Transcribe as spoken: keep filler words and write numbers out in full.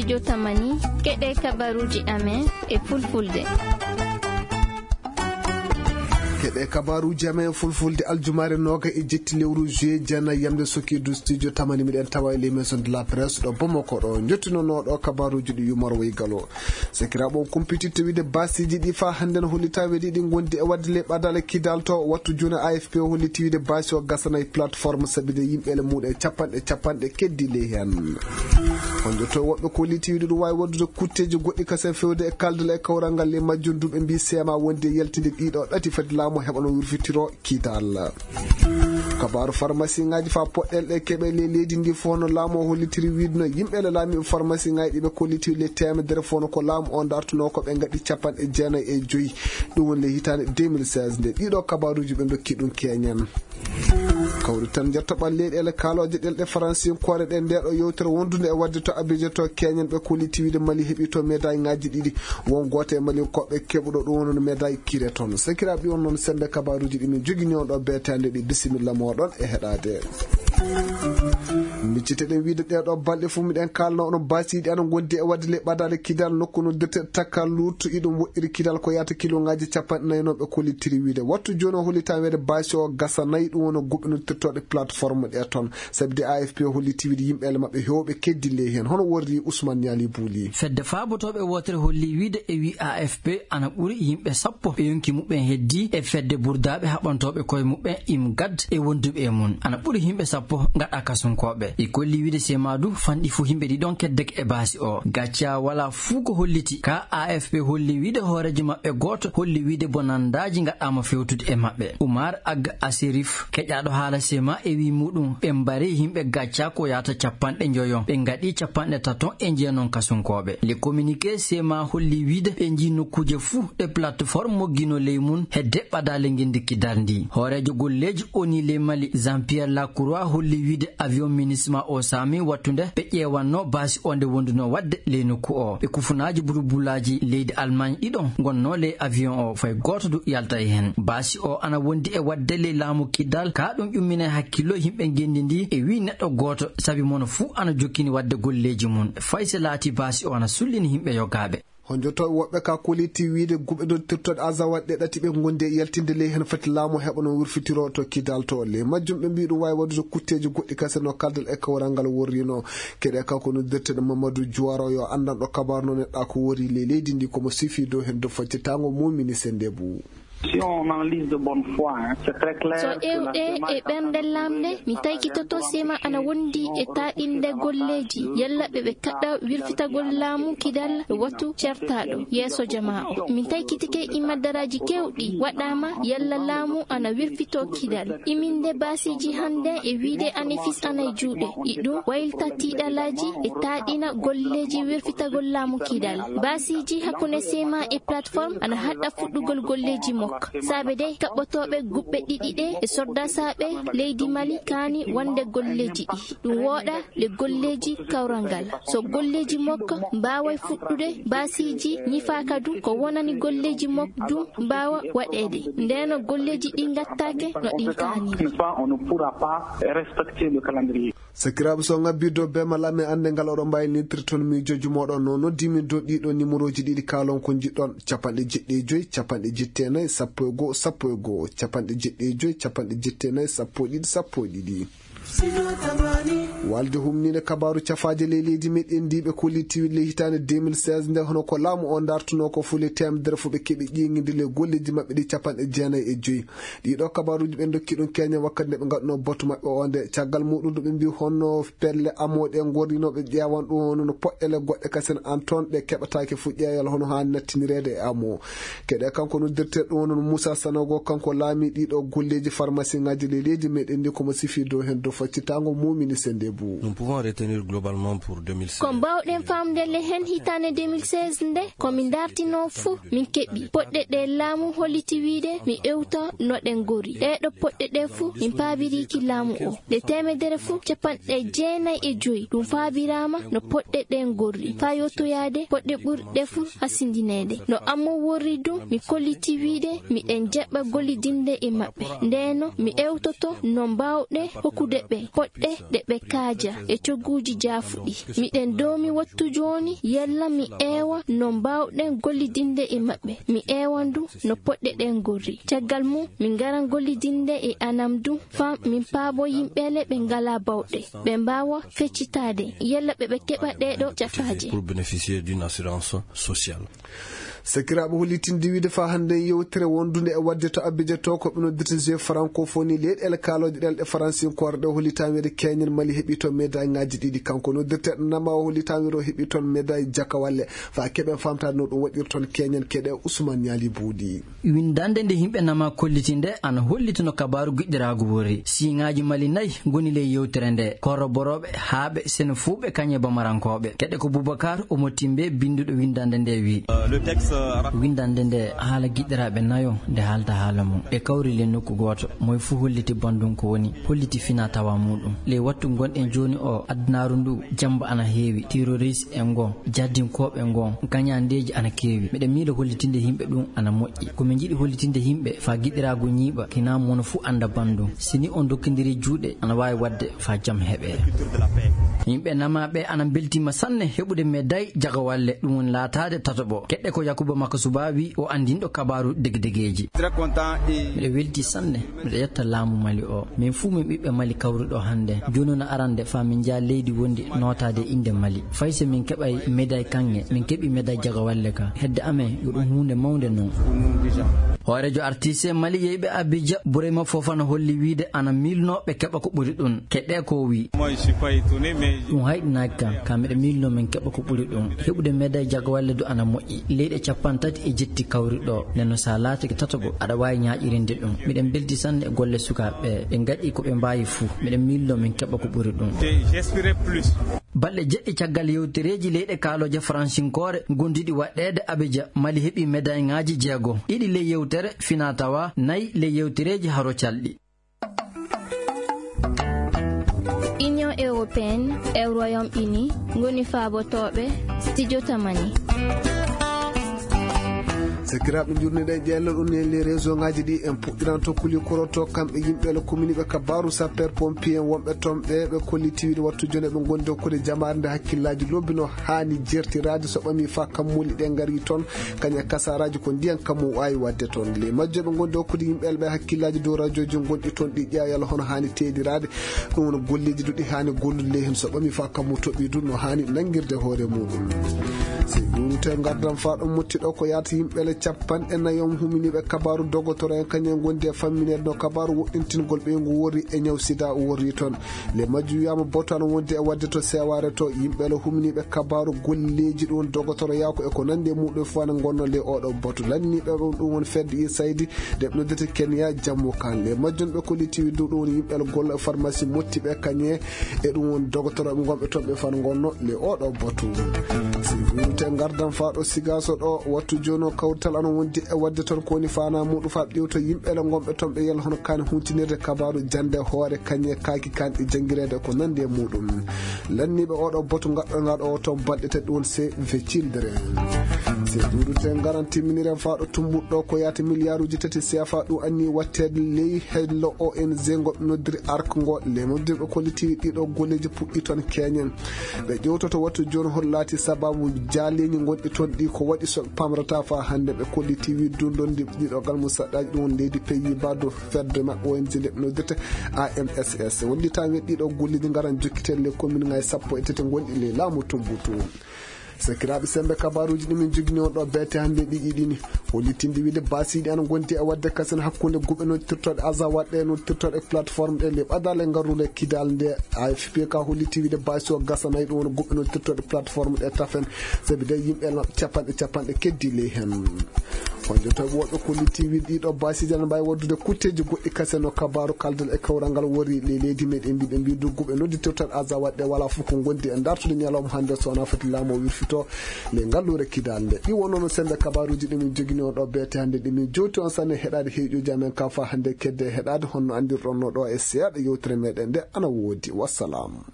Jotamani, keɗe kabaruuji amen e fulfulde. Keɗe kabaruuji amen e fulfulde aljumaare nooga e jetti lewru juillet, jana yamde sokiidu studio tamani, miɗen tawa e les maisons de la presse ɗo Bamako ɗo. Njottinonooɗo kabaruuji ɗi Yumar Way Galo. Sakiraaɓe, on kumpititte wiide baasiiji ɗi faa hannde no hollitaa weɗi ɗi ngondi e waɗde ley ɓadaale kidal to wattu jooni. A F P o holliti wiide baasi o gasana e plateforme sabide yimɓe ele muuɗe capanɗe capanɗe keddi ley heen. On jotto woɓɓe ko holliti wiide ɗum waawi waɗdude kutteeji goɗɗi kasen fewde e kaldal e kawral ngal ley majjum ɗum ɓe mbii seema wondi e yaltinde ɗiɗo ɗati fati laamu heɓano wurfitiro kidal. Kabaaru farmasiŋaaji faa poɗɗel ɗe keɓe ley leydi ndi fof no laamu o hollitiri wiide no yimɓe le laamiiɓe farmasiŋaaji ɗi ɓe kolliti le teemedere fof no ko laamu o dartunoo ko ɓe ngaɗi capanɗe jeenayi e joyi. Ɗum woni le hitaande deux mille seize nde. Ɗiɗo kabaaruuji ɓe ndokki ɗum keeñen. Kawri tan njettoɓal leyɗeele kaalooje ɗelɗe faransinkoore ɗe nde ɗo yewtere wondude e waɗde to Abidjan to keeñen ɓe kolliti wiide Mali heɓi to médaille ŋaaji ɗiɗi. Won gooto e Mali koɓe keɓuɗo ɗum woni médaille kire toon. Sakiraaɓe, on noon semmbe kabaaruuji ɗi min jogini on ɗo beetaande ɗi. Bisimilla mooɗon e heɗaade. Micciteɗen wiide ɗee ɗo balɗe fof miɗen kaalna on baasiiɗi ana ngondi e waɗde le ɓadaale kidal nokku no dirte takka luuttu iɗum woɗɗiri kidal ko yaata kiloŋaaji capanɗe nayi noon ɓe kollitiri wiide. Wattu jooni o hollitaa weede baasi o gasa nayi ɗum woni guɓɓe no dirtooɗe plateforme ɗe toon. Sabi de A F P o holliti wiide yimɓe ele maɓɓe heewɓe keddi ley heen. Hono worri Ousmane Niali Bouli. Fedde faabotooɓe wootere holli wiide e wi A F P ana ɓuri yimɓe sappo ɓe yonki muɓɓen heddi e fedde burdaaɓe haɓantooɓe koye muɓɓen IMGAD e wonduɓe e mum. Ana ɓuri yimɓe sappo ngaɗa kasunkooɓe. Ɗi kolli wiide sema du fanɗi fuu yimɓe ɗiɗon keddeke e baasi o. Gacca wala fuu ko holliti. Ka A F P holli wiide hooreejo maɓɓe gooto holli wiide bonandaaji ngaɗaama fewtude e maɓɓe. Umar Ag Asirif, keƴaaɗo haala sema e wi muɗum, ɓe mbari yimɓe gacca ko yaata capanɗe njoyo. Ɓe ngaɗi capanɗe tato e njeenon kasunkooɓe. Le communiqué sema holli wiide ɓe njii nokkuuje fuu ɗe plateforme moggino ley mum hedde ɓadaale ngenndi kidal ndi. Hooreejo golleeji O N U ley Mali, Jean-Pierre Lacroix, holli wiide avion MINUSMA o saami wattude ɓe ƴeewanno baasi o nde wonduno waɗde ley nokku o. Ɓe kufunaaji bulbulaaji leydi Allemagne ɗiɗon ngonno ley avion o, fay gooto du yalta e heen. Baasi o ana wondi e waɗde ley laamu kidal, ka ɗum ƴumminay hakkillo yimɓe ngenndi ndi e wi neɗɗo gooto, sabi mono fuu ana jokkini waɗde golleeji mum. Fay so laati baasi o ana sullini yimɓe yogaaɓe. Honjotooɓe woɓɓe ka koliti wiide guɓe dottirtoɗe azawaɗ ɗe ɗati ɓe ngondi e yaltinde ley heen fati laamu heɓa no wurfitiro to kidal to. Ley majjum ɓe mbii ɗum waawi waɗude kutteeji goɗɗi kase no kaldal e kawral ngal worrino. Keɗe kanko noddirteɗo Mamadou Juwaro yo anndanɗo kabaru no neɗɗa ko worri ley leydi ndi komo sifi dow heen dow faccitaango mumini sende bu. Si on analyse de bonne foi, hein, c'est très clair. So ƴeewɗe e ɓernde lamnde, mi taykitoto sema ana wondi e taaɗinde golleeji, yalla ɓe ɓe kaɗɗa wirfitagol laamu kidal wattu certaaɗo yeeso jamaa o. Min taykitike imaddaraaji keewɗi waɗaama yalla laamu ana wirfito kidal. Iminde baasiiji hannde e wiide anefis ana e juuɗe. Iɗum waylita tiiɗalaaji e taaɗina golleeji wirfitagol laamu kidal. Baasiiji hakkunde sema e plateforme ana haɗɗa fuɗɗugol golleeji mokka. Saabe de kaɓɓotooɓe guɓɓe ɗiɗi ɗe e sordasaaɓe leydi Mali kaani wonde golleeji ɗi. Ɗum wooɗa le golleeji kawral ngal. So golleeji mokka mbaaway fuɗɗude, baasiiji ñifaaka du ko wonani golleeji mokka du mbaawa waɗeede. Ndeno golleeji ɗi ngattaake no ɗin kaani. N'est-ce pas, on ne pourra pas respecter le calendrier. Sakiraaɓe, so ngabbii dow beemal amen annde ngal oɗon mbaawi nittirde toon miijooji mooɗon no noddi min dow ɗiɗo nimorooji ɗiɗi kaalon ko njiɗɗon, capanɗe jeɗɗi e joyi, capanɗe jetti e nayi, sappo e go'o, sappo e go'o, capanɗe jeɗɗi e joyi, capanɗe jetti e nayi, sappo e ɗiɗi, sappo e ɗiɗi. Walde humniinde kabaaru cafaaje ley leydi meɗen ndi ɓe kolliti ley hitaande deux mille seize nde hono ko laamu o dartunoo ko fuu ley teemedere fuu ɓe keɓi ƴeeŋinde ley golleeji maɓɓe ɗi capanɗe jeenayi e joyi. Ɗiɗo kabaaruuji ɓe ndokki ɗum keeñen wakkati nde ɓe ngaɗunoo batu maɓɓe o nde. Caggal muɗum ɗo ɓe mbii honno pelle amoo ɗe ngorrinooɓe ƴeewan ɗum hono no poɗɗele goɗɗe kasen an toon ɗe keɓataake fuu ƴeewal hono haani nattinireede e amoo. Keɗe kanko noddirte ɗum hono Moussa Sanogo, kanko laami ɗiɗo golleeji farmasiŋaaji ley leydi meɗen ndi komo sifi dow heen dow faccitaango mumini sende bu. Nous pouvons retenir globalement pour deux mille seize. Ko mbaawɗen faamde le heen hitaande deux mille seize nde, ko min dartinoo fuu min keɓi. Poɗɗe ɗe laamu holliti wiide mi ewta no ɗe ngori. Ɗee ɗo poɗɗe ɗe fuu min paabiriiki laamu o. Ɗe teemedere fuu capanɗe jeenayi e joyi ɗum paabiraama no poɗɗe ɗe ngorri. Faa yottoyaade poɗɗe ɓurɗe fuu hasindineede. No ammo worri ɗum mi kolliti wiide miɗen jaɓɓa gollidinde e maɓɓe. Ndeno mi ewtoto no mbaawɗe hokkude ɓe poɗɗe ɗe ɓe Aja e cogguuji jaafuɗi. Miɗen doomi wattu jooni, yalla mi eewa no mbaawɗen gollidinde e maɓɓe. Mi eewa ndu no poɗɗeɗen gorri. Caggal mum, min ngaran gollidinde e anam ndu, faa min paabo yimɓe le ɓe ngalaa bawɗe, ɓe mbaawa feccitaade, yalla ɓe ɓe keɓa ɗeeɗo cafaaje. Pour bénéficier d'une assurance sociale. Sakiraaɓe, hollitinde wiide faa hannde yewtere wondunde e waɗde to Abidjan to, ko ɓe noddirta Jeux Francophonie leyɗeele kaalooje ɗemɗe faransinkoore ɗe, hollitaa wiide keñen Mali heɓi toon médaille ŋaaji ɗiɗi. Kanko noddirteeɗo Nama o hollitaa wiide o heɓi toon médaille jakawalle. Faa keɓen faamtaade no ɗum waɗiri toon, keñen keɗe Ousmane Niali Buuɗi. Winndannde nde yimɓe Nama kolliti nde ana holliti no kabaaru giɗɗiraagu worri. Siiŋaaji Mali nayi ngoni ley yewtere nde, koroborooɓe, haaɓe, sene fuu ɓe kañe bamarankooɓe. Keɗe ko Boubacar Omo Timbe, binnduɗo winndannde nde, wii: Winndannde nde haala giɗɗiraaɓe nayo nde haalta haala mum. Ɗe kawri ley nokku gooto, moy fuu holliti banndum ko woni, holliti finaa tawaa muuɗum. Ley wattu ngonɗen jooni o, adunaaru ndu, jamba ana heewi, terroriste en ngon, jahdinkooɓe ngon, gañandeeji ana keewi. Miɗen miilo hollitinde yimɓe ɗum ana moƴƴi. Ko min njiɗi hollitinde yimɓe faa giɗɗiraagu ñiiɓa, kinaa mono fuu annda banndum. Si ni on ndokkindiri juuɗe, ana waawi waɗde faa jam heɓee. Yimɓe Nama ɓe ana mbeltiima sanne heɓude médaille jagawalle, ɗum woni laataade tataɓo. Keɗɗe ko Yakuba Makasuba wii, o anndinɗo kabaaru degedegeeji. Miɗo weltii sanne, miɗo yetta laamu Mali o. Min fuu min ɓiɓɓe Mali kawri ɗo hannde. Jooni no arande faa min njaha leydi wondi nootaade e innde Mali. Fay so min keɓay médaille kaŋŋe, min keɓi médaille jagawalle ka. Hedde amen, yo ɗum huunde mawnde non. Hooreejo artiste Mali yeyɓe Abidjan, Burema Fofana holli wiide ana miilnoo ɓe keɓa ko ɓuri ɗum. Keɗɗe ko o wii. Ɗum hayɗinaaki kam, ka miɗo miilnoo min keɓa ko ɓuri ɗum. Heɓude médaille jagawalle du ana moƴƴi. Leyɗe cappanɗe tati e jetti kawri ɗo. Nden no so a laatike tataɓo, aɗa waawi ñaaƴirinde ɗum. Miɗen mbelti sanne e golle sukaaɓe ɓe. Ɓe ngaɗi ko ɓe mbaawi fuu. Miɗen miilnoo min keɓa ko ɓuri ɗum. Balɗe jeɗɗi caggal yewtereeji leyɗe kaalooje faransinkoore gondiɗi waɗɗeede Abidjan, Mali heɓi médaille ŋaaji jeego. Ɗiɗi ley yewtere finaa tawaa, nayi ley yewtereeji haro calɗi. Union européenne e Royaume-Uni ngoni faabotooɓe Studio Tamani. Sakiraaɓe, njurniɗen ƴeeñal ɗum e les réseau ŋaaji ɗi, en puɗɗiran to Kulikoro to, kamɓe yimɓe le commune ɓe kabaaru sapeur pompier en wonɓe toon ɓe, ɓe kolliti wiide wattu jooni ɓe ngondi hokkude jamaare nde hakkillaaji lobbi no haani jertiraade so ɓami faa kammuuli ɗe ngari toon, kañe kasaaraaji ko ndiyan kammu waawi waɗde toon. Le majjo ɓe ngondi hokkude yimɓe ɓe hakkillaaji dow rajooji gonɗi toon ɗi ƴeewa yalla hono haani teediraade. Ɗum woni golleeji du ɗi haani gollude ley heen so ɓami faa kammu toɓɓi du no haani nanngirde hoore muuɗum. Si ɗuurute ngardam faa ɗum mutti ɗo ko yaata yimɓe le capanɗe nayo huminiiɓe kabaaru dogotoro en kañum ngondi e fammineede no kabaaru woɗɗintingol ɓeyngu worri e ñaw sida worri toon. Le majju wiyaama boto ana wondi e waɗde to seewaare to yimɓe le huminiiɓe kabaaru golleeji ɗum dogotoro yaako e ko nanndi e muuɗum faa ne ngonno le oɗo boto lanniiɓe ɗum ɗum woni fedde i saydi. Nde ɓe noddata Kenya, jammu kan. Le majjum ɓe kolliti wiide ɗum woni yimɓe le gollo e pharmacie motti ɓe kañe. E ɗum woni dogotorooɓe gonɓe toon ɓe faa ngonno le oɗo botu. Si wirte ngardam faa ɗo Sigaaso ɗo, wattu jooni o kawtal ana wondi e waɗde toon ko woni faanaa muuɗum faa ƴeewta yimɓe le gonɓe toon ɓe yalla hono kaani huntinirde kabaaru jannde hoore kañe kaaki kanɗi janngireede ko nanndi e muuɗum. Lanniiɓe oɗo botu ngaɗɗo ngaɗo o toon balɗe tati ɗum woni Save the Children. Si duudude ngaran timminiren faa ɗo tumbuɗo ko yaata miliyaaruuji tati C F A ɗum anni watteede ley hello O N G ngo ɓe noddiri ark ngo. Le majjum ɓe kolliti ɗiɗo golleeji puɗɗi toon keñen. Ɓe ƴeewtoto wattu jooni hol laati sababu jaaleeji gonɗi toon ɗi ko waɗi so ɓe pamrata faa hannde ɓe kolliti wi dundondi ɗiɗo gal musaɗɗaaji ɗum woni leydi Pays-Bas dow fedde maɓɓe O N G nde ɓe noddirta A M S S. Wallitaama ɗiɗo golleeji ngaran jokkitee le commune ngaji sappo e tati gonɗi le laamu Tumbutu. Sakiraaɓe, semmbe kabaaruuji ɗi min njogini on ɗo beete hannde ɗiɗi ɗini. Hollitinde wiide baasiiɗi ana ngondi e waɗde kasen hakkunde guɓe noddirtooɗe Azawad ɗe noddirtooɗe plateforme ɗe le ɓadale ngarrule kidal nde A F P ka holliti wiide baasi o gasanay ɗum woni guɓe noddirtooɗe plateforme ɗe tafen. Sabi de yimɓe capanɗe capanɗe keddi ley heen. Honjotoɓe woɓɓe kolliti wiide ɗiɗo baasiiji ana mbaawi waɗdude kutteeji goɗɗi kasen no kabaaru kaldal e kawral ngal wori le leydi meɗen mbiɗen mbiɗu guɓe noddirtooɗe Azawad ɗe wala fof ko ngondi e dartude ñalawma hannde so wonaa foti laamu o wirfito. Nde ngalluure kidal nde. Ɗi wonno no semmbe kabaaruuji ɗi min njogini on ɗo beete hannde ɗi min jowti on sanne heɗaade heeƴuuji amen ka faa hannde kedde heɗaade honno anndirɗon no ɗo e seeɗa yewtere meɗen nde ana woodi. Wassalam.